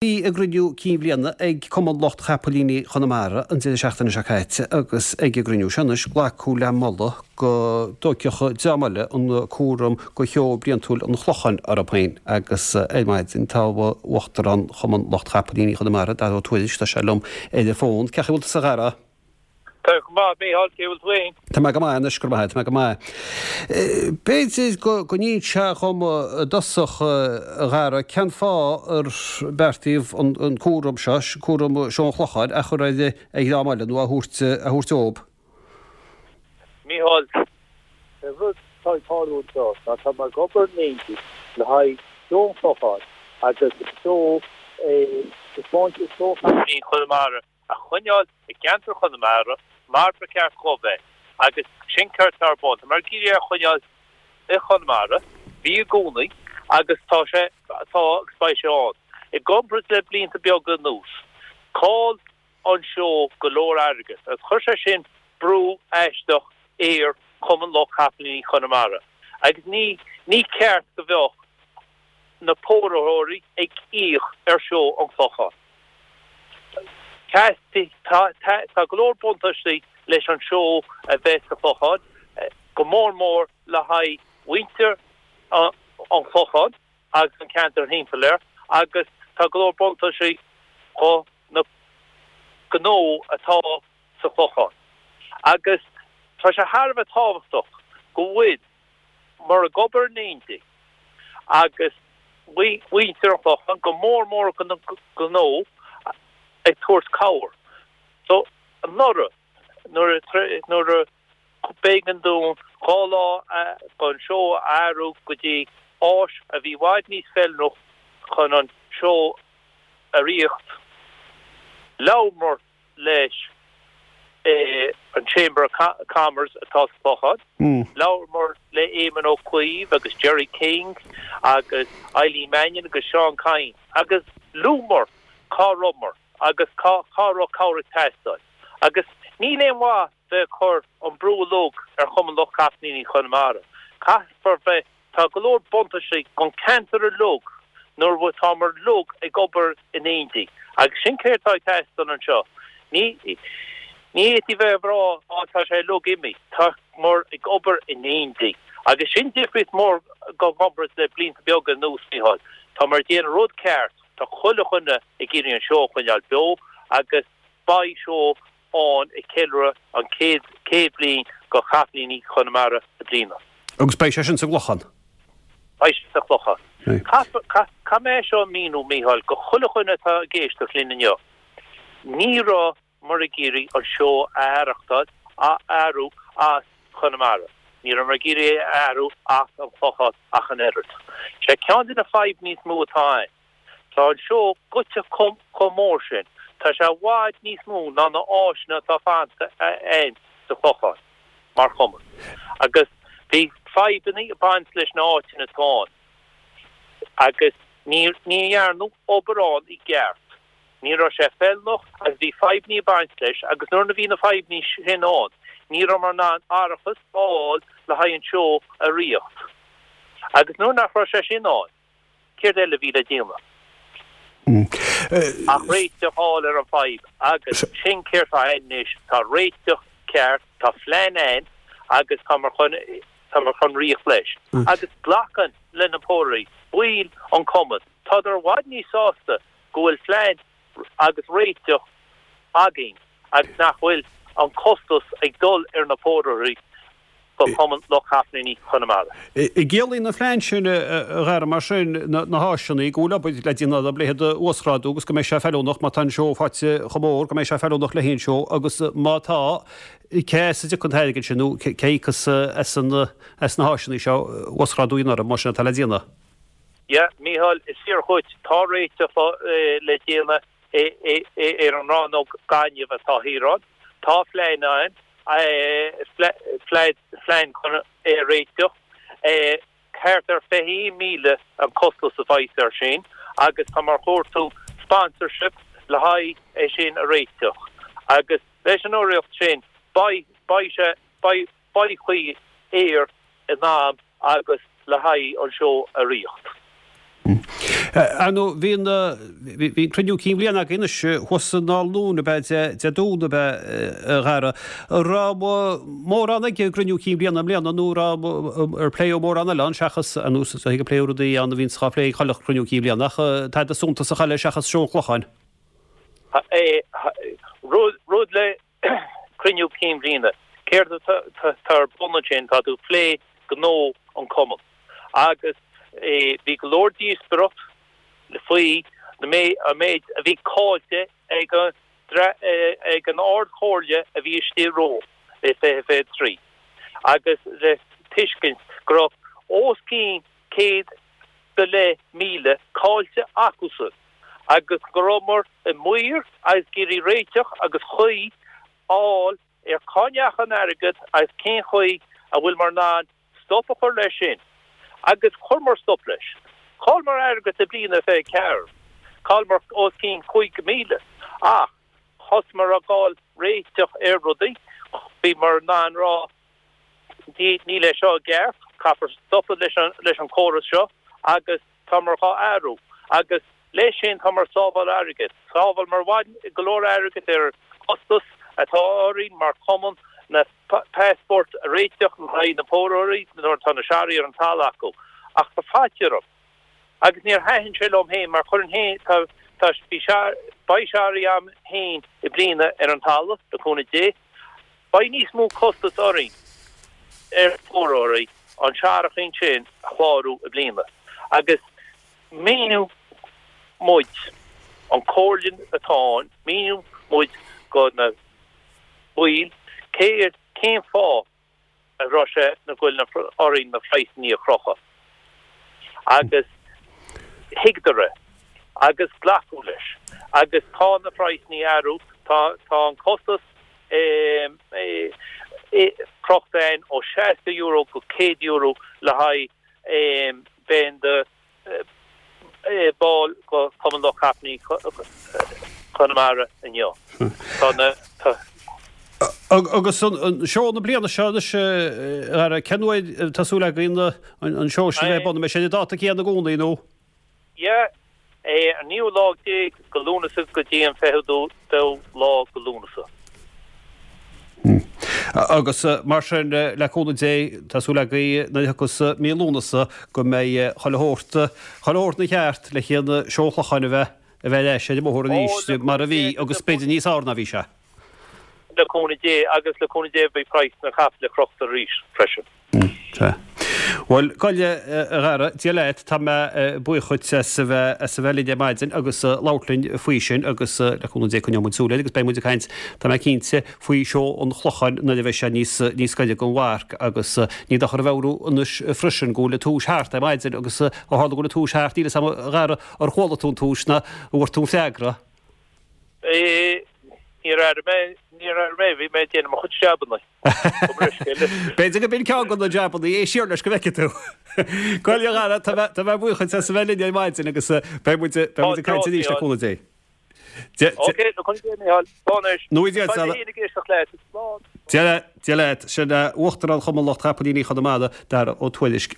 Bhí a gcruinniú cinn bhliana ag Cumann Lucht Chapaillíní Chonamara an deireadh seachtaine seo caite agus ag an gcruinniú seo anois glacadh le moladh go dtógfadh dream eile an cúram go sheó bliantúil an Chlocháin orthu féin agus ar maidin tá Uachtarán Chumann Lucht Chapaillíní Chonamara, Dara Ó Tuairisg, tá sé liom ar an bhfón. Cén chaoi a bhfuil tusa a Dhara? Tá go maith, Mícheál, cé bhfuil tú féin? Tá mé go maith anois, go raibh maith agat, tá mé go maith. B'fhéidir go n-inseofá dhom i dtosach, a Dhara, cén fáth ar beartaíodh an cúram seo, cúram Seó an Chlocháin, a chur ar dhream eile nó a thabhairt a thabhairt dóibh? Mícheál, An rud atá ag tarlú anseo ná tá muid ag obair in éindí le haghaidh Seó an Chlocháin agus seó Seó Chapaillíní Chonamara a choinneáil i gceantar Chonamara mar ba cheart dhó bheith agus sin céard atá ar bun. Tá muid ag iarraidh é a choinneáil i Chonamara, bhí i gcónaí agus tá sé, tá agus beidh sé ann. I gcomparáid le blianta beaga anuas, chaill an seó go leor airgead agus chuir sé sin brú aisteach ar Chumann Lucht Capaillíní Chonamara agus ní, ní ceart go bheadh na póraitheoirí ag íoc ar seó an Chlocháin. Tá go leor buntáistí leis an seó a bheith sa Chlochán, go mór mór le haghaidh mhuintir an Chlocháin agus an ceantar thimpeall air agus tá go leor buntáistí do na gnó atá sa Chlochán. Agus tá sé thar a bheith tábhachtach go bhfuil muid ag obair in éindí agus muintir an Chlocháin, go mór mór na gnó, ag tabhairt cabhair. So, anuraidh, nuair nuair a b'éigean dúinn 2 lá don seó a athrú go dtí áis a bhí i bhfad níos feiliúnach chun an seó a ritheacht, labhramar leis an Chamber of Commerce atá sa Chlochán. Labhramar le Éamon Ó Cuív agus Gerry King agus Eileen Mannion agus Seán Kyne agus luamar cá rabhamar agus cá cá raibh cabhair ag teastáil. Agus níl aon mhaith bheith ag cur an brú uilig ar Chumann Lucht Capaillíní Chonamara. Caithfear bheith Tá go leor buntáistí don ceantar uilig nuair atámar uilig ag obair in éindí agus sin céard atá ag teastáil anseo. Ní ní fhéadfaí bheith ag rá á tá sé uilig imithe, támar ag obair in éindí agus sin difríocht mór i gcomparáid le blianta beaga anuas, Mícheál. Támar ag déanamh rud ceart, tá chuile dhuine ag iarraidh an seó a choinneáil beo agus beidh seó ann ag ceiliúradh an 100 bliain go Chapaillíní Chonamara i mbliana. Agus beidh sé sin sa gClochán? Beidh sé sa Chlochán. Caithfidh mé é seo a mhíniú, Mícheál, go chuile dhuine atá ag éisteacht linn inniu. Ní rabhamar ag iarraidh an seó a aireachtáil, a athrú as Conamara. Ní rabhamar ag iarraidh é a athrú as an Chlochán ach an oiread. Sé ceann de na fadhbanna is mó atá ann. Tá an seó goite chomh mór sin, tá sé i bhfad níos mó ná na áiseanna atá fanta againn sa Chlochán, mar chumann. Agus bhí fadhbanna ag baint leis na áiteanna atá ann agus ní dhearnadh obair ann i gceart. Ní raibh sé feiliúnach agus bhí fadhbanna ag baint leis agus nuair a bhí na fadhbanna sin ann, ní rabhamar in ann árachas a fháil le haghaidh an seó a ritheacht. Agus nuair nach raibh sé sin ann, Céard eile a bhí le déanamh ach réiteach a fháil ar an bhfadhb agus sin céard atá ann anois, tá réiteach ceart, tá plean ann agus táimid chun, táimid chun ritheacht leis. Agus glacann le na pórairí, baill an chumainn, tádar i bhfad níos sásta go bhfuil plean agus réiteach againn agus nach bhfuil an costas ag dul ar na pórairí do Chumann Lucht Capaillíní Chonamara. An gciallaíonn an phlean sin, a Dhara, mar sin, na háiseanna, go bhfuil obair le déanamh dá leithéid a uasghrádú agus go mbeidh sé feiliúnach má tá an seó faighte chomh mór, go mbeidh sé feiliúnach le haon seó agus má tá, cé as a dtiocfaidh an t-airgead sin nó cé a íocfas as na háiseanna seo uasghrádú a dhéanamh orthu, más sin atá le déanamh? Yeah, Mícheál, is fíor dhuit. Tá réiteach le déanamh ar an rannóg gainimh atá thiar ann. Tá plean ann, plean chun é a réiteach. Thart ar 21,000 an costas a bheas air sin agus táimid ag cuartú sponsorship le haghaidh é sin a réiteach. Agus leis an urraíocht sin beidh, beidh sé, beidh, beidh caoi air in am agus le haghaidh an seó a ritheacht. Ar ndóigh, bhí an, bhí an cruinniú cinn bhliana againn anois thuas san Ard Luain ab ea Dé Domhnaigh ab ea, a Dhara. An raibh mórán ag an gcruinniú cinn bhliana i mbliana nó raibh, ar pléadh mórán eile ann seachas, ar nós, is dóigh gur pléadh rudaí ann a bhíonns á phlé ag chuile chruinniú cinn bhliana ach tada suntasach eile seachas seó an Chlocháin. Rud le cruinniú cinn bhliana, céard atá ar bun ansin, tá tú ag plé gnó an chumainn. Agus bhí go leor díospóireacht faoi an méid a bhí caillte ag an Ard-Chomhairle a bhí istigh romhainn i 2023 agus le tuiscint go raibh os cionn 100,000 caillte acusan agus go rabhamar i mbaol agus ag iarraidh réiteach agus chaoi a fháil ar cá ndeachaigh an airgead agus cén chaoi a bhfuileamar in ann stop a chur leis sin. Agus chuireamar stop leis. Chailleamar airgead i bliain a 24. Chailleamar os cionn 5,000. Ach thosaíomar ag fáil réiteach ar rudaí. Bhíomar in ann rá níl é seo i gceart, caithfear stopadh leis an chóras seo agus támar dhá athrú agus leis sin támar ag sábháil airgid. Shábhálamar go leor airgid ar chostas atá orainn mar chumann na passport a réiteach le haghaidh na póraeirí nuair atá na searraigh ar an talamh acu. Ach tá faitíos orm agus níor thaitin sé liom féin mar chuirfinn féin tá tá bhí beidh searraigh a'm féin i bliana ar an talamh le cúnamh Dé. Beidh níos mó costas orainn ar phóraeirí an searrachín sin a chlárú i bliana agus míneoidh muid, an comhairle atá ann, míneoidh muid go na baill cé cén fáth a raibh sé na go bhfuil orainn na praghsanna a chrochadh. Agus thuigeadar é agus glacadh leis. Agus tá na praghsanna ag athrú, tá tá an costas crochta ann ó €60 go €100 le haghaidh bheith in do ball go Cumann Lucht Capaillíní Chonamara inniu. Tá na. Agus an seó na bliana seo anois, a Dhara, cén uair atá súil againn an seó sin a bheith ar bun? An mbeidh sé ar an dáta céanna i gcónaí nó? Yeah, an naoú lá déag go Lúnasa go dtí an fichiú dóú lá go Lúnasa. Agus mar sin, le cúnamh Dé, tá súil againn nuair a thiocfas mí Lúnasa go mbeidh chuile shórt, chuile shórt ina cheart le haghaidh an seó an Chlocháin a bheith, a bheith ar ais ar an mbóthar arís mar a bhí agus b'fhéidir níos fearr ná bhí sé. Le cúnamh Dé, agus le cúnamh Dé beidh praghas na capaill crochta arís freisin. Sea. Bhuel, gabh i leith, a Dhara, Dia leat, tá mé buíoch dhuit as a bheith, as a bheith linn ar maidin agus labhairt linn faoi sin agus le cúnamh Dé coinneoidh muid súil air agus beidh muid ag caint, tá mé cinnte, faoi seó an Chlocháin nuair a bheidh sé níos, níos gaire don mharc agus ní dochar a mheabhrú anois freisin go bhfuil an tomhas thart ar maidin agus ó tharla go bhfuil an tomhas thart, níl a fhios agam, a Dhara, ar chuala tú an tomhas nó an bhfuair tú an freagra? Níor airigh mé, níor airigh mé, bhí mé ag déanamh mo chuid jabanna. B'fhéidir go b'in ceann de na jabanna, éist siar leis go bhfeicfidh tú. Gabh i leith a Dhara, tá mé, tá mé buíoch duit as a bheith linn ar maidin agus beidh muid, beidh muid ag caint arís le cúnamh Dé. Ok, le cúnamh Dé, Micheál. Slán anois. Nó Dia leat. Dia leat, Dia leat. Sin Uachtarán Chumann Lucht Chapaillíní Chonamara, Dara Ó Tuairisg.